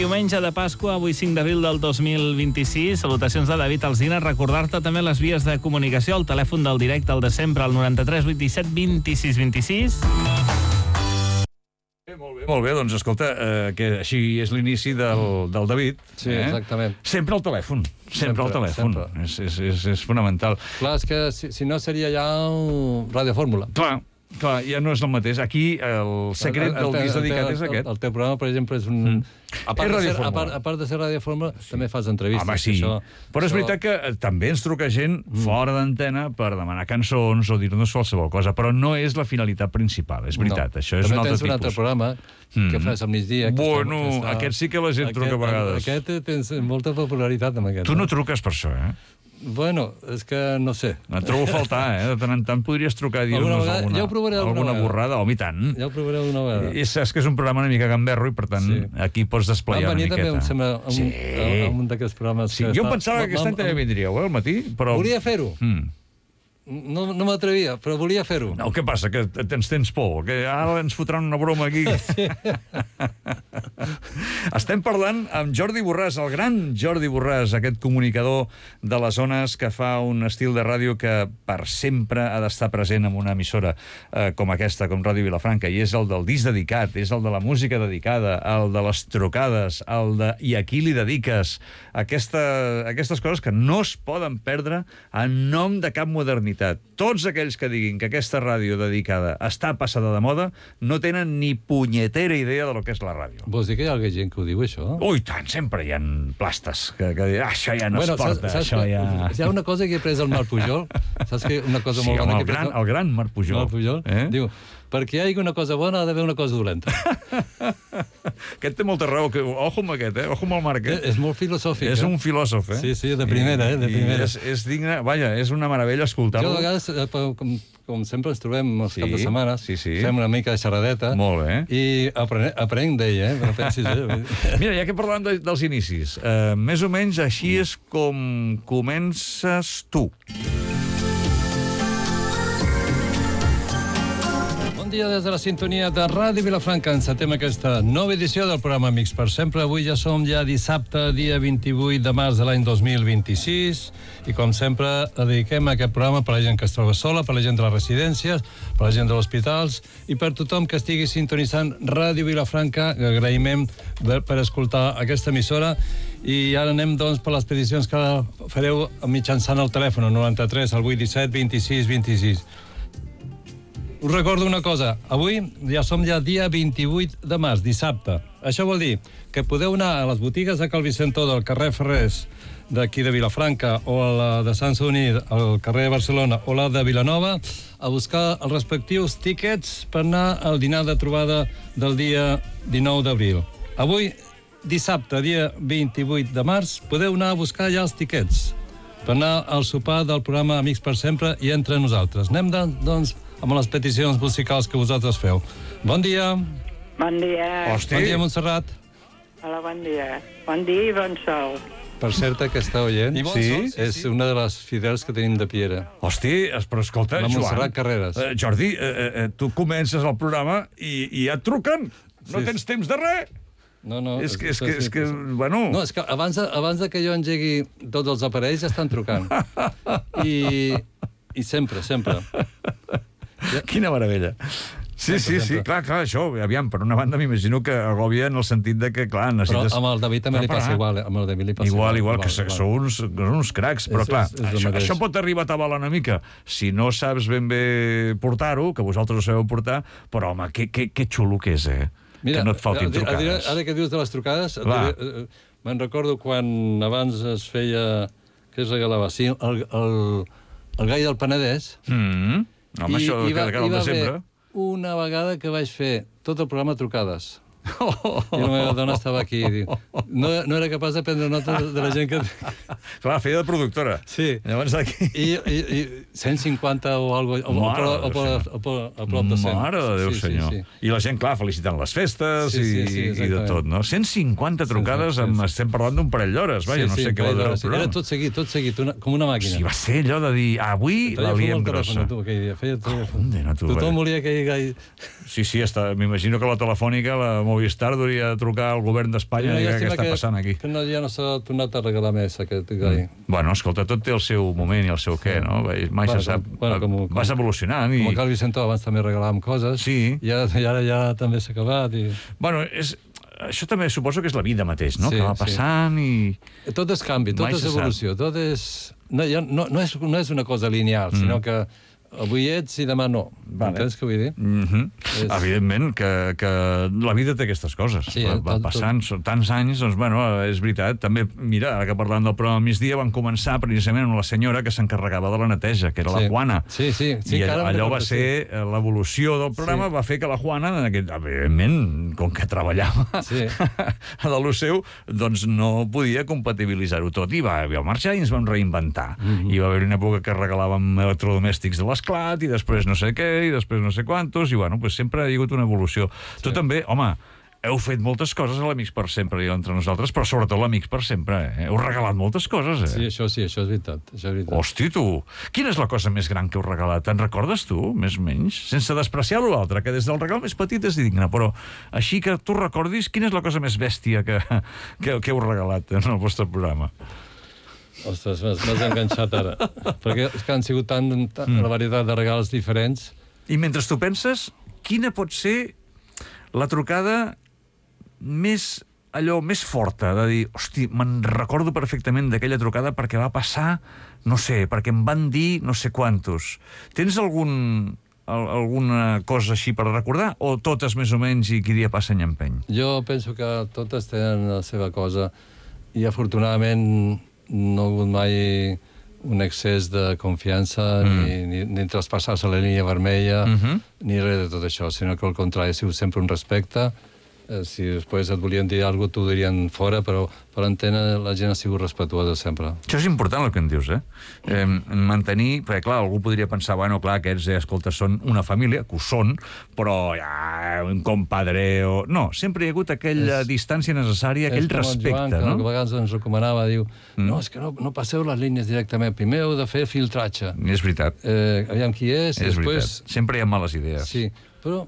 Diumenge de Pasqua, avui cinc d'abril del dos mil vint-i-sis. Salutacions de David Alsina. Recordar-te també les vies de comunicació, el telèfon del directe, el de sempre, el noranta-tres vuitanta-set vint-i-sis vint-i-sis. Molt bé, molt bé, doncs escolta, eh, que així és l'inici del, del David. Sí, eh? exactament. Sempre al telèfon, sempre, sempre al telèfon. Sempre. És, és, és, és fonamental. Clar, és que si, si no seria ja un radiofórmula. Clar, clar, ja no és el mateix. Aquí el secret del disc dedicat és aquest. El, el teu programa, per exemple, és un... Mm. A part, de ser, a, part, a part de ser radiofórmula, sí. també fas entrevistes. Home, sí. Això, però és això... veritat que també ens truca gent mm. fora d'antena per demanar cançons o dir-nos qualsevol cosa, però no és la finalitat principal, és veritat. No. Això és també un altre tipus. També tens un altre programa mm. que fas al migdia. Bueno, que està, aquest sí que la gent aquest, truca a vegades. Aquest tens molta popularitat amb aquest. Tu no truques per això, eh? Bueno, és que no sé. Et trobo a faltar, eh? De tant en tant podries trucar i dir-nos alguna, alguna, ja alguna borrada. Home, i tant. Ja ho provaré alguna vegada. I saps que és un programa una mica gamberro i, per tant, sí. aquí pots desplegar una miqueta. Vam venir també, em sembla, a un, sí. a, a un d'aquests programes. Sí, jo em pensava que aquest any també vindríeu, eh, al matí, però... Volia fer-ho. Mm. No, no m'atrevia, però volia fer-ho. No, què passa? Que tens, tens por? Que ara ens fotran una broma aquí? Sí. Estem parlant amb Jordi Borràs, el gran Jordi Borràs, aquest comunicador de les zones que fa un estil de ràdio que per sempre ha d'estar present en una emissora eh, com aquesta, com Ràdio Vilafranca, i és el del disc dedicat, és el de la música dedicada, el de les trucades, el de i a qui li dediques, aquesta, aquestes coses que no es poden perdre en nom de cap modernitat. Tots aquells que diguin que aquesta ràdio dedicada està passada de moda no tenen ni punyetera idea de lo que és la ràdio. Vols dir que hi ha alguna gent que ho diu, això? Ui, tant, sempre hi ha plastes que, que diuen, ah, això ja no bueno, es porta, saps, saps això que, ja... Hi ha una cosa que he pres al Marc Pujol, saps que una cosa sí, molt bona home, que he el, gran, pres... el gran Marc Pujol. Marc Pujol, eh? Diu, perquè hi hagi una cosa bona ha d'haver una cosa dolenta. Aquest té molta raó. Que, ojo amb aquest, eh? Ojo amb el Marc. Eh? És molt filosòfic. És eh? un filòsof, eh? Sí, sí, de primera, eh? De primera. És, és digne... Vaja, és una meravella escoltar-lo. Jo, a vegades, com, com sempre ens trobem els sí, caps de setmana, sí, sí. fem una mica de xerradeta. Molt bé. I aprenc, aprenc d'ell, eh? No pensis, eh? Mira, ja que parlàvem de, dels inicis, eh, més o menys així és com comences tu. Bon dia des de la sintonia de Ràdio Vilafranca. Encetem aquesta nova edició del programa Amics per Sempre. Avui ja som ja dissabte, dia vint-i-vuit de març de l'any dos mil vint-i-sis, i com sempre dediquem aquest programa per la gent que es troba sola, per la gent de les residències, per la gent dels hospitals i per tothom que estigui sintonitzant Ràdio Vilafranca. Agraïmem per escoltar aquesta emissora. I ara anem, doncs, per les peticions que fareu mitjançant el telèfon, el noranta-tres, el vuit disset, vint-i-sis vint-i-sis. Us recordo una cosa, avui ja som ja dia vint-i-vuit de març, dissabte. Això vol dir que podeu anar a les botigues de Cal Vicentó del carrer Ferrers d'aquí de Vilafranca o a la de Sant Sadurní al carrer de Barcelona o la de Vilanova a buscar els respectius tíquets per anar al dinar de trobada del dia dinou d'abril. Avui, dissabte, dia vint-i-vuit de març, podeu anar a buscar ja els tíquets per anar al sopar del programa Amics per Sempre i entre nosaltres. Anem, doncs, amb les peticions musicals que vosaltres feu. Bon dia. Bon dia. Hosti. Bon dia, Montserrat. Hola, bon dia. Bon dia i bon sol. Per cert, que està oient, I bon sí, sol, sí, és sí. una de les fidels que tenim de Piera. Hosti, però escolta, la Joan... Montserrat Carreras. Eh, Jordi, eh, eh, tu comences el programa i, i ja et truquen. No Sí. tens temps de res. No, no. És que, és que, és que bueno... No, és que abans de, abans de que jo engegui tots els aparells ja estan trucant. I, i sempre, sempre. Quina meravella. Sí, sí, sí, clar, clar, això, aviam, per una banda m'imagino que agòbia en el sentit de que, clar, necessites... Però amb el David també li passa igual, eh? Amb el David li passa igual. Igual, igual, igual, que igual. sou uns, uns cracs, però És- clar, és- és el això, mateix. això pot arribar a tabalar una mica si no saps ben bé portar-ho, que vosaltres ho sabeu portar, però, home, que, que, que xulo que és, eh? Mira, que no et faltin a- a- trucades. Ara que dius de les trucades, et Va. diré, eh, me'n recordo quan abans es feia... Què es regalava? Sí, el, el, el gai del Penedès. Mm. Home, I, això i va, que cada i el va de sempre. haver una vegada que vaig fer tot el programa trucades. I la meva dona estava aquí i diu, no, no era capaç de prendre nota de, de la gent que... Clar, feia de productora. Sí. Llavors aquí... I, i, i cent cinquanta o algo, o, o, Mare o, de o, Déu, o, o, a prop de cent. Mare de Déu, Sí, sí, senyor. sí. I la gent, clar, felicitant les festes Sí, sí, i, sí, i de exactament. tot, no? cent cinquanta trucades, sí, sí. amb, estem parlant d'un parell d'hores, vaja, no sé què va durar el sí, programa. era tot seguit, tot seguit, una, com una màquina. Sí, va ser allò de dir, avui Feia la fum liem al telèfon, grossa. tu, aquell dia. Feia telèfon. Condena, tu, Tothom vaja. volia que hi hagués... Sí, sí, està... m'imagino que la telefònica, la mòbil Movistar hauria de trucar al govern d'Espanya i dir què està passant aquí. Que no, ja no s'ha tornat a regalar més, aquest gai. Mm. Bueno, escolta, tot té el seu moment i el seu què, no? Mai se sap. Bueno, com, vas evolucionant. I... Com el Calvi Centó, abans també regalàvem coses. Sí. I ara, i ara ja també s'ha acabat. I... Bueno, és... això també suposo que és la vida mateix, no? Sí, que va passant sí. i... Tot és canvi, tot Mai és se evolució, tot és... No, ja, no, no, és, no és una cosa lineal, mm. sinó que avui ets i demà no. Vale. Entens què vull dir? Mm -hmm. és... Evidentment que, que la vida té aquestes coses. Sí, va, va tot, passant tot... tants anys, doncs, bueno, és veritat. També, mira, ara que parlant del programa migdia, van començar precisament amb la senyora que s'encarregava de la neteja, que era sí. la Juana. Sí, sí. sí I allò, allò va ser sí. l'evolució del programa, sí. va fer que la Juana, en aquest, evidentment, com que treballava sí. a lo seu, doncs no podia compatibilitzar-ho tot. I va, va marxar i ens vam reinventar. Mm -hmm. I va haver una època que regalàvem electrodomèstics de l'esclat, i després no sé què, i després no sé quantos, i bueno, pues sempre ha hagut una evolució. Sí. Tu també, home, heu fet moltes coses a l'Amics per Sempre i entre nosaltres, però sobretot l'Amics per Sempre, eh? Heu regalat moltes coses, eh? Sí, això sí, això és veritat. Això és veritat. Hosti, tu! Quina és la cosa més gran que heu regalat? Te'n recordes tu, més o menys? Sense despreciar l'altre, que des del regal més petit és digne, però així que tu recordis, quina és la cosa més bèstia que, que, que heu regalat en el vostre programa? Ostres, m'has enganxat ara. Perquè és que han sigut tant, tant mm. la varietat de regals diferents. I mentre tu penses, quina pot ser la trucada més, allò, més forta, de dir, hosti, me'n recordo perfectament d'aquella trucada perquè va passar, no sé, perquè em van dir no sé quantos. Tens algun, alguna cosa així per recordar, o totes més o menys i qui dia passa any empeny? Jo penso que totes tenen la seva cosa i afortunadament no ha hagut mai un excés de confiança, mm. ni, ni, ni traspassar-se la línia vermella, mm-hmm. ni res de tot això, sinó que al contrari, ha sigut sempre un respecte. Eh, si després et volien dir alguna cosa, t'ho dirien fora, però per antena la gent ha sigut respetuosa sempre. Això és important el que em dius, eh? eh mantenir, perquè clar, algú podria pensar, bueno, clar, aquests, eh, escolta, són una família, que ho són, però ja, un compadre o... No, sempre hi ha hagut aquella és, distància necessària, aquell respecte, Joan, no? Que a vegades ens recomanava, diu, mm. no, és que no, no passeu les línies directament, primer heu de fer filtratge. És veritat. Eh, aviam qui és, és i després... Veritat. Sempre hi ha males idees. Sí, però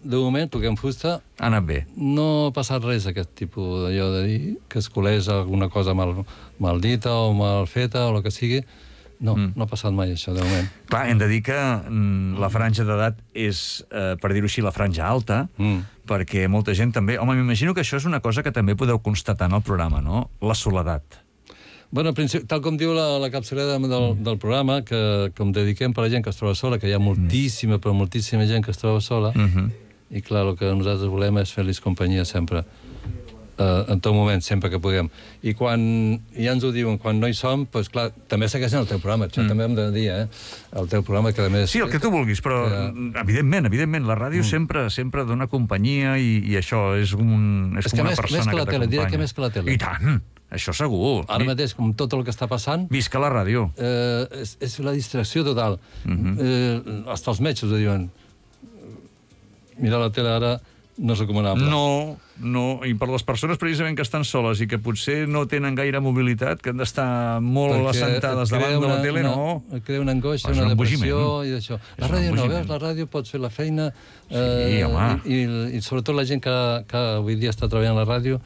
de moment, toquem fusta... Ha anat bé. No ha passat res, aquest tipus d'allò de dir que es colés alguna cosa mal, mal dita o mal feta o el que sigui. No, mm. no ha passat mai això, de moment. Clar, hem de dir que mm, la franja d'edat és, eh, per dir-ho així, la franja alta, mm. perquè molta gent també... Home, m'imagino que això és una cosa que també podeu constatar en el programa, no? La soledat. Bueno, tal com diu la, la capçalera del, del programa, que com dediquem per a la gent que es troba sola, que hi ha moltíssima, però moltíssima gent que es troba sola, mm-hmm. i clar, el que nosaltres volem és fer-los companyia sempre, uh, en tot moment, sempre que puguem. I quan ja ens ho diuen, quan no hi som, doncs clar, també segueixen el teu programa, això mm. també hem de dir, eh? El teu programa, que a més... Sí, el que tu vulguis, però que... evidentment, evidentment, la ràdio mm. sempre sempre dona companyia i, i això és, un, és, és com una més, persona més que, que la tele, diré que més que la tele. I tant! Això segur. Ara mateix, com tot el que està passant... Visca la ràdio. Eh, és, és la distracció total. Mm-hmm. eh, hasta els metges ho diuen. Mirar la tele ara no és recomanable. No, no. I per les persones precisament que estan soles i que potser no tenen gaire mobilitat, que han d'estar molt perquè assentades davant una, de la tele, una, no. Et crea una angoixa, una, una depressió i això. La ràdio no, veus? La ràdio pots fer la feina sí, eh, home. i, i, i sobretot la gent que, que avui dia està treballant a la ràdio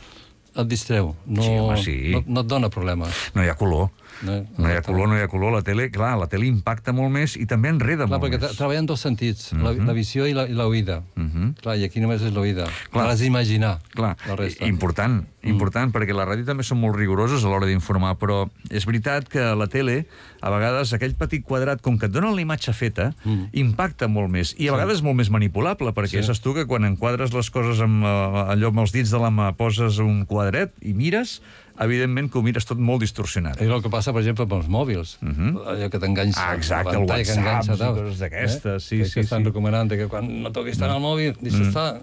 et distreu. No, sí, home, sí. no, no et dona problemes. No hi ha color. No, no hi ha color, no hi ha color. La tele, clar, la tele impacta molt més i també enreda clar, molt perquè més. Treballa en dos sentits, uh -huh. la, la visió i la, i l'oïda. Uh -huh. Clar, i aquí només és l'oïda. Clar, has d'imaginar la resta. Important, important, mm. perquè la ràdio també són molt rigorosos a l'hora d'informar, però és veritat que la tele, a vegades, aquell petit quadrat, com que et donen la imatge feta, mm. impacta molt més. I a vegades sí. és molt més manipulable, perquè sí. saps tu que quan enquadres les coses amb, allò amb els dits de la mà, poses un quadret i mires, evidentment que ho mires tot molt distorsionat. I el que passa, per exemple, amb els mòbils. Uh -huh. Allò que t'enganxa. Ah, exacte, el WhatsApp i coses d'aquestes. Sí, que sí, estan sí. recomanant que quan no toquis tant al mòbil, deixa mm. estar.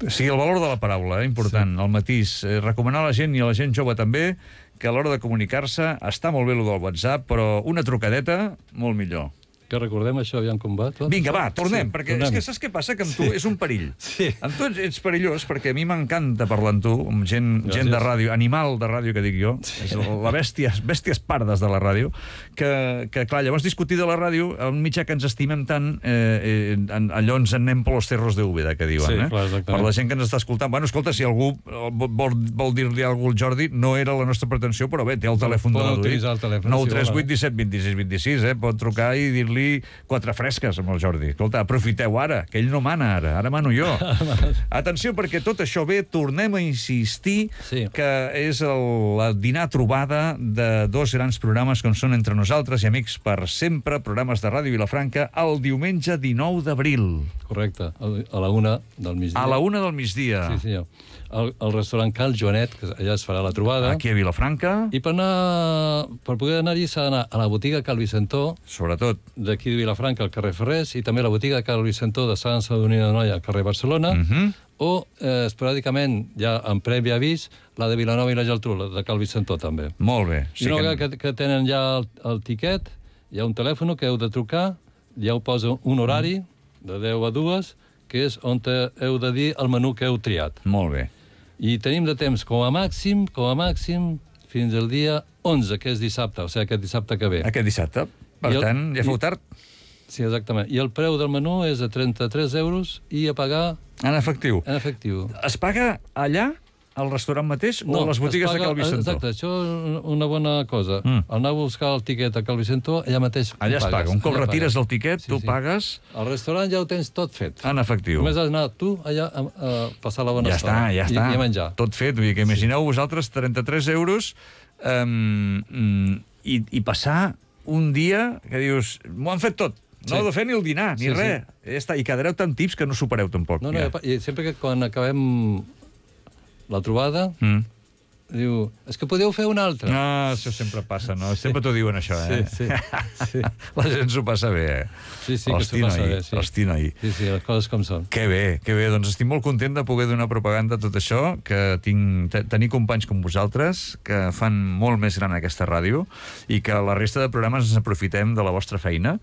Sí, el valor de la paraula, eh, important, sí. el matís. Eh, recomanar a la gent i a la gent jove també que a l'hora de comunicar-se està molt bé el del WhatsApp, però una trucadeta, molt millor. Que recordem això, aviam com va tot. Vinga, va, tornem, Sí, perquè tornem. és que saps què passa? Que amb tu Sí. és un perill. Sí. Amb tu ets, ets perillós, perquè a mi m'encanta parlar amb tu, amb gent, Gràcies. gent de ràdio, animal de ràdio, que dic jo, sí. És la bèstia, bèsties pardes de la ràdio, que, que clar, llavors discutir de la ràdio, un mitjà que ens estimem tant, eh, eh, allò ens en anem per los cerros de Úbeda, que diuen, Sí, eh? clar, exactament. Per la gent que ens està escoltant. Bueno, escolta, si algú vol, vol dir-li alguna cosa al Jordi, no era la nostra pretensió, però bé, té el telèfon de Poden l'Adui. utilitzar el telèfon, nou si tres vuit volen. disset vint-i-sis vint-i-sis, eh? Pot trucar i dir-li quatre fresques amb el Jordi. Escolta, aprofiteu ara, que ell no mana ara, ara mano jo. Atenció, perquè tot això ve, tornem a insistir Sí. que és el, la dinar trobada de dos grans programes com són Entre Nosaltres i Amics per Sempre, programes de Ràdio Vilafranca, el diumenge dinou d'abril, Correcte, a la una del migdia. a la una del migdia, Sí, senyor. El, el restaurant Cal Joanet, que allà es farà la trobada. aquí a Vilafranca, I per, anar, per poder anar-hi s'ha d'anar a la botiga Cal Vicentó, sobretot. d'aquí de Vilafranca, al carrer Ferrés, i també a la botiga Cal Vicentó de Sant Sadurní de Noia, al carrer Barcelona, Mhm. o, eh, esporàdicament, ja en previ avís, la de Vilanova i la Geltrú, la de Cal Vicentó, també. Molt bé. I una vegada que, que tenen ja el, el tiquet, hi ha un telèfon que heu de trucar, ja ho posa un horari, de deu a dues, que és on te heu de dir el menú que heu triat. Molt bé. I tenim de temps com a màxim, com a màxim, fins al dia onze, que és dissabte, o sigui, aquest dissabte que ve. Aquest dissabte. Per I el- tant, ja feu i- tard. Sí, exactament. I el preu del menú és de trenta-tres euros i a pagar En efectiu. en efectiu. Es paga allà, al restaurant mateix, o a les botigues es de paga- Cal Vicentó? Exacte, això és una bona cosa. Mm. Mm. Al anar a buscar el tiquet a Cal Vicentó, allà mateix Allà es ho pagues. paga. Un cop Allà retires pagues. el tiquet, Sí, tu sí. pagues Al restaurant ja ho tens tot fet. en efectiu. Només has d'anar tu allà a, a passar la bona Ja estona. està, ja està. I, i a menjar. Tot fet. Vull dir que imagineu vosaltres trenta-tres euros um, mm, i, i passar un dia que dius, m'ho han fet tot. No Sí. heu de fer ni el dinar, ni Sí, res. Ja està. I quedareu tan tips que no supereu tampoc. No, no, ja. i sempre que quan acabem la trobada, Mm. diu, és que podeu fer una altra. Ah, això sempre passa, no? Sempre t'ho diuen, això, eh? Sí, sí, sí. La gent s'ho passa bé, eh? Sí, sí, que Hosti, s'ho passa noi, bé, sí. Hosti, noi. Sí, sí, les coses com són. Que bé, que bé. Doncs estic molt content de poder donar propaganda a tot això, que tinc, te, tenir companys com vosaltres, que fan molt més gran aquesta ràdio, i que la resta de programes ens aprofitem de la vostra feina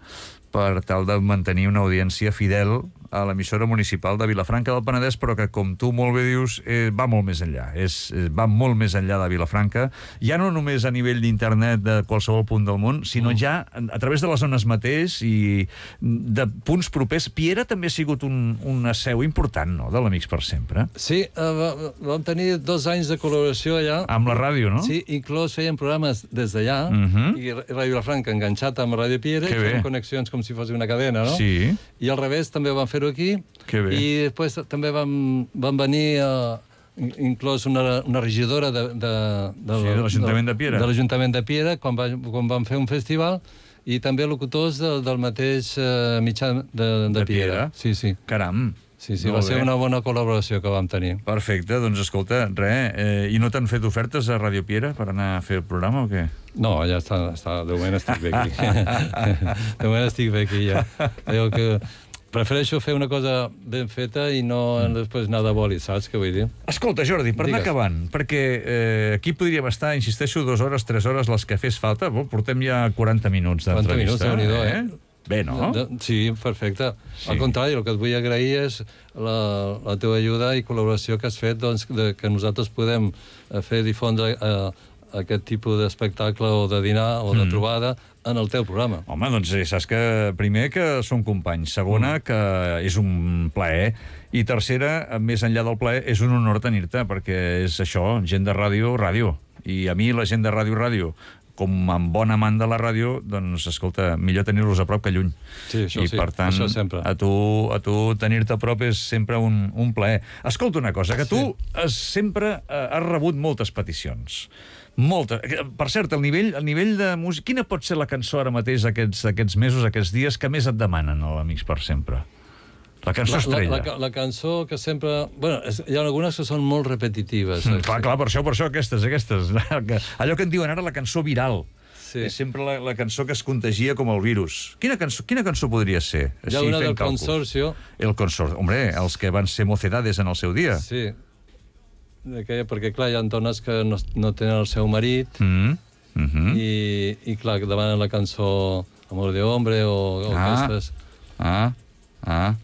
per tal de mantenir una audiència fidel a l'emissora municipal de Vilafranca del Penedès, però que, com tu molt bé dius, eh, va molt més enllà. És, eh, va molt més enllà de Vilafranca, ja no només a nivell d'internet de qualsevol punt del món, sinó ja a través de les zones mateix i de punts propers. Piera també ha sigut un, una seu important, no?, de l'Amics per Sempre. Sí, eh, va- vam tenir dos anys de col·laboració allà. Amb la ràdio, no? Sí, inclús feien programes des d'allà, Mhm. i Ràdio Vilafranca enganxat amb Ràdio Piera, Que i bé. feien connexions com si fos una cadena, no? Sí. I al revés també van fer-ho aquí. Que bé. I després també van, van venir uh, inclús una, una regidora de, de, de, Sí, de l'Ajuntament de Piera. De l'Ajuntament de Piera, quan, va, quan van fer un festival, i també locutors del, del mateix uh, mitjà de, de, De Piera. Piera. Sí, sí. Caram. Sí, sí, Molt va ser bé. una bona col·laboració que vam tenir. Perfecte, doncs escolta, res, eh, i no t'han fet ofertes a Ràdio Piera per anar a fer el programa o què? No, ja està, està de moment estic bé aquí. De moment estic bé aquí, ja. Diu que prefereixo fer una cosa ben feta i no després anar de boli, saps què vull dir? Escolta, Jordi, per anar Digues. acabant, perquè eh, aquí podríem estar, insisteixo, dues hores, tres hores, les que fes falta. Bo, portem ja quaranta minuts quaranta minuts, d'entrevista. Déu-n'hi-do, eh? Bé, no? De, sí, perfecte. Sí. Al contrari, el que et vull agrair és la, la teva ajuda i col·laboració que has fet, doncs, de, que nosaltres podem eh, fer difondre eh, aquest tipus d'espectacle o de dinar o de Mm. trobada en el teu programa. Home, doncs eh, saps que primer que som companys, segona Mm. que és un plaer, i tercera, més enllà del plaer, és un honor tenir-te, perquè és això, gent de ràdio, ràdio. I a mi la gent de ràdio, ràdio, com amb bon amant de la ràdio, doncs, escolta, millor tenir-los a prop que lluny. Sí, això I, sí, per tant, això sempre. a tu, a tu tenir-te a prop és sempre un, un plaer. Escolta una cosa, que tu has, sempre eh, has rebut moltes peticions. Moltes. Per cert, el nivell, el nivell de música... Quina pot ser la cançó ara mateix aquests, aquests mesos, aquests dies, que més et demanen a l'Amics per Sempre? La cançó La, estrella. la, la, la cançó que sempre... Bueno, és, hi ha algunes que són molt repetitives. Mm, eh? clar, clar, per això, per això, aquestes, aquestes. Allò que en diuen ara la cançó viral. Sí. És sempre la, la cançó que es contagia com el virus. Quina cançó, quina cançó podria ser? Hi ha una fent del càlculs. Consorcio. El Consorcio. Hombre, els que van ser mocedades en el seu dia. Sí. Que, perquè, clar, hi ha dones que no, no tenen el seu marit Mm. Mm -hmm. i, i, clar, demanen la cançó Amor de Hombre o, o Ah. aquestes. Ah, ah...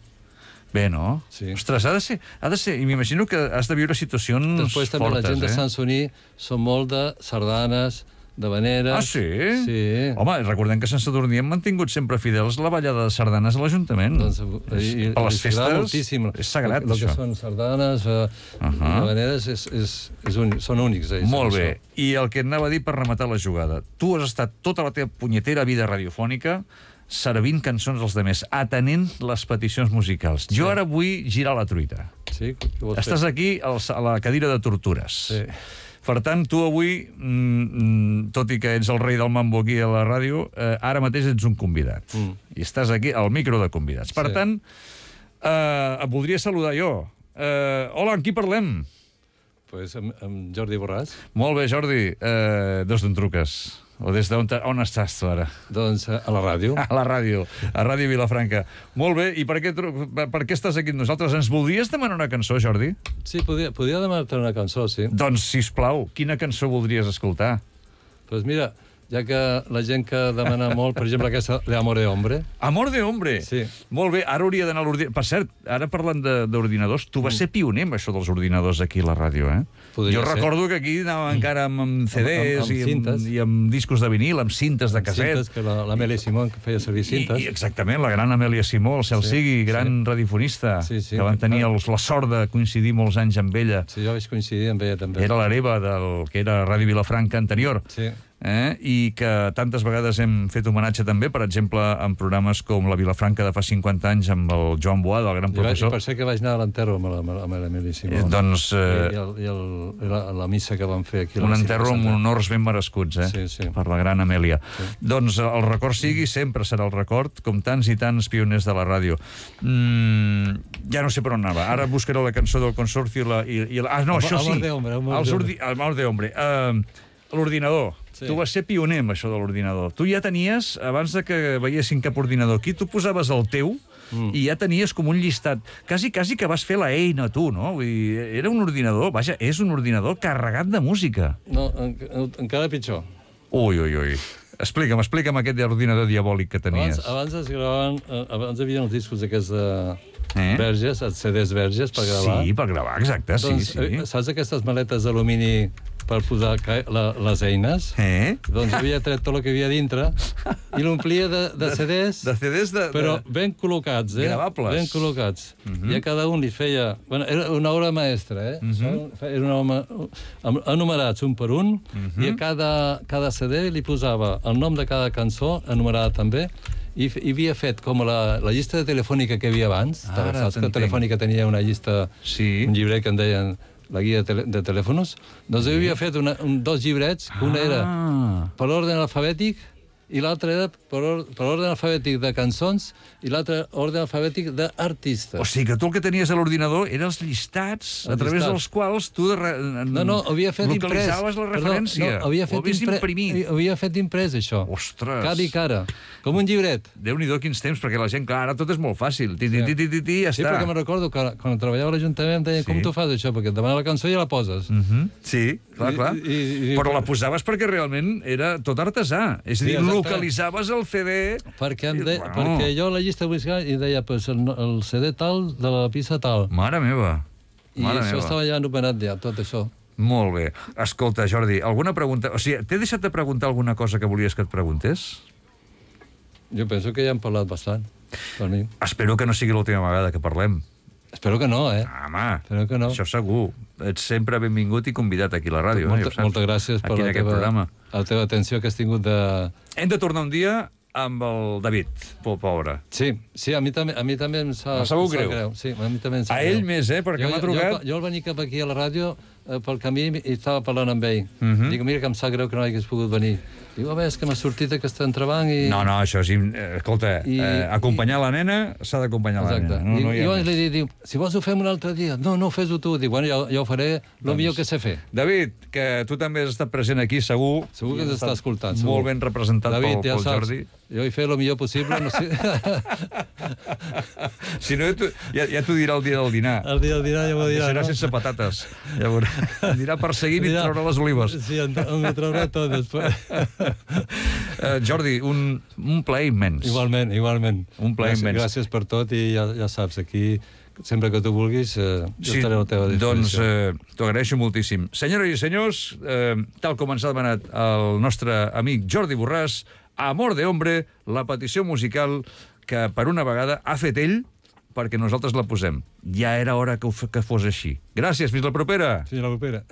Bé, no? Sí. Ostres, ha de ser... Ha de ser i m'imagino que has de viure situacions Després també fortes, la gent de eh? Sant Soní són molt de sardanes, de veneres... Ah, sí? Sí. Home, recordem que a Sant Sadurní hem mantingut sempre fidels la ballada de sardanes a l'Ajuntament. Doncs, És- i, per les els agrada festes moltíssim. és sagrat, el, el això. que són sardanes uh, Ahà. uh -huh. i veneres és, és, és únic, són únics. Ells, Molt això. bé. I el que et anava a dir per rematar la jugada. Tu has estat tota la teva punyetera vida radiofònica servint cançons als demés, atenent les peticions musicals. Sí. Jo ara vull girar la truita. Sí? Què vols Estàs fer? aquí al- a la cadira de tortures. Sí. Per tant, tu avui, mm, mm, tot i que ets el rei del mambo aquí a la ràdio, eh, ara mateix ets un convidat. Mm. I estàs aquí al micro de convidats. Per Sí. tant, eh, et voldria saludar jo. Eh, hola, amb qui parlem? Pues amb, amb Jordi Borràs. Molt bé, Jordi. Eh, des d'on truques? O des d'on te- on estàs tu ara? Doncs eh, a la ràdio. A la ràdio, a Ràdio Vilafranca. Molt bé, i per què, tru- per, per què estàs aquí amb nosaltres? Ens voldries demanar una cançó, Jordi? Sí, podia, podia demanar-te una cançó, sí. Doncs, sisplau, quina cançó voldries escoltar? Doncs mira, ja que la gent que demana molt, per exemple, aquesta de Amor de Hombre, Amor de Hombre. Sí. Molt bé, ara hauria d'anar a l'ordinador. Per cert, ara parlant de- d'ordinadors, tu vas ser pioner amb això dels ordinadors aquí a la ràdio, eh? Podria jo ser. recordo que aquí anava encara amb, amb C Ds Amb- amb i, amb, cintes. i amb discos de vinil, amb cintes de casset. cintes, que la- l'Amèlia Simón que feia servir cintes. I, I exactament, la gran Amèlia Simó, el cel Sí, sigui, gran sí. radiofonista, Sí, sí. que van tenir els, la sort de coincidir molts anys amb ella. Sí, jo vaig coincidir amb ella també. Era l'hereva del que era Ràdio Vilafranca anterior. Sí. Eh? I que tantes vegades hem fet homenatge també, per exemple, en programes com la Vilafranca de fa cinquanta anys amb el Joan Boada, el gran I, vaig, I professor. per ser que vaig anar a l'enterro amb la- amb l'Emili Simó. Eh, doncs, eh, I, el, i, el, i la, la missa que vam fer aquí. a la un Basílica enterro amb Santa. honors ben merescuts, eh? Sí, sí. Per la gran Amèlia. Doncs el record sigui, sempre serà el record, com tants i tants pioners de la ràdio. Mm, ja no sé per on anava. Ara buscaré la cançó del Consorci i la... I, i la ah, no, Amor- això sí. Amor de Hombre, Amor Els de ordi- Amor de Hombre. Uh, L'ordinador. Sí. Tu vas ser pioner amb això de l'ordinador. Tu ja tenies, abans de que veiessin cap ordinador aquí, tu posaves el teu mm. i ja tenies com un llistat. Quasi, quasi que vas fer la eina, tu, no? Vull dir, era un ordinador, vaja, és un ordinador carregat de música. No, en, en, encara pitjor. Ui, ui, ui. Explica'm, explica'm aquest ordinador diabòlic que tenies. Abans, abans es gravaven, eh, abans hi havia els discos aquests de Eh? verges, els C Ds verges per gravar. Sí, per gravar, exacte, sí, doncs, sí. eh, saps aquestes maletes d'alumini per posar ca- la, les eines? Eh? Doncs havia tret tot el que havia dintre i l'omplia de, de C Ds, De C Ds de... però de... ben col·locats, eh? Gravables. Ben col·locats. Mhm. Uh -huh. I a cada un li feia... Bueno, era una obra maestra, eh? Uh Mhm. -huh. Era una obra... enumerats un per un, uh Mhm. -huh. i a cada, cada C D li posava el nom de cada cançó, enumerada també, i f- i havia fet com la, la llista de telefònica que hi havia abans. Ara Saps que t'entenc. Telefònica tenia una llista, Sí. un llibret que en deien la guia de, tele, de telèfons? Doncs ell havia fet una, un, dos llibrets, que un era Ah. per ordre alfabètic i l'altre era per, or, per ordre alfabètic de cançons i l'altre ordre alfabètic d'artistes. O sigui que tu el que tenies a l'ordinador eren els llistats a Els través llistats. dels quals tu de re... No, no, havia fet imprès. localitzaves la referència. Perdó, no, havia fet Ho havies impre- imprimit. Havia fet imprès, això. Ostres. Cara i cara. Com un llibret. Déu-n'hi-do quins temps, perquè la gent, clar, ara tot és molt fàcil. Ti, ti, ti, ti, ti, ti, ja Sí, està. perquè me'n recordo que quan treballava a l'Ajuntament em deien, Sí. com tu fas això? Perquè et demana la cançó i ja la poses. Mhm. Sí, clar, I- clar. i- i- Però la posaves perquè realment era tot artesà. És a Sí, dir, exacte. localitzaves el C D... Perquè, em de... Bueno. perquè jo la llista buscava i deia pues, el, el C D tal de la pista tal. Mare meva. I Mare això meva. estava ja anomenat ja, tot això. Molt bé. Escolta, Jordi, alguna pregunta... O sigui, t'he deixat de preguntar alguna cosa que volies que et preguntés? Jo penso que ja hem parlat bastant, per mi. Espero que no sigui l'última vegada que parlem. Espero que no, eh? Ah, home, Espero que no. això segur. Ets sempre benvingut i convidat aquí a la ràdio. Molta, eh, ja ho saps. moltes gràcies per aquí en la aquest teva, programa. la teva atenció que has tingut de... Hem de tornar un dia amb el David, po- pobre. Sí, sí, a mi també, a mi també em sap, Em sabut em sap greu. Sí, a mi també em sap A greu. ell més, eh, perquè jo, m'ha jo- trucat... Jo, jo al venir cap aquí a la ràdio, eh, pel camí, i estava parlant amb ell. Mhm. Dic, mira que em sap greu que no hagués pogut venir. Diu, home, és que m'ha sortit aquest entrebanc i... No, no, això és... im- eh, Escolta, I- eh, acompanyar la nena s'ha d'acompanyar la Exacte. nena. No, no hi I, ha llavors més. li dic, diu, si vols ho fem un altre dia. No, no, fes-ho tu. Dic, bueno, jo, jo ho faré el Doncs- millor que sé fer. David, que tu també has estat present aquí, segur. Segur que I has ens està estat escoltant, segur. Molt ben representat David, pel, ja pel saps, Jordi. jo hi faré el millor possible. No sé. Si no, ja t'ho- ja, ja t'ho dirà el dia del dinar. El dia del dinar ja m'ho dirà, Serà no? sense patates. Llavors, anirà perseguint i Dirà- traurà les olives. Sí, em, em ho traurà tot després. Uh, Jordi, un, un plaer immens. Igualment, igualment. Un plaer gràcies, immens. Gràcies per tot i ja, ja saps, aquí, sempre que tu vulguis, eh, jo Sí, estaré a la teva doncs disposició. eh, t'ho agraeixo moltíssim. Senyores i senyors, eh, tal com ens ha demanat el nostre amic Jordi Borràs, Amor de Hombre, la petició musical que per una vegada ha fet ell perquè nosaltres la posem. Ja era hora que, ho, que fos així. Gràcies, fins la propera. Fins la propera.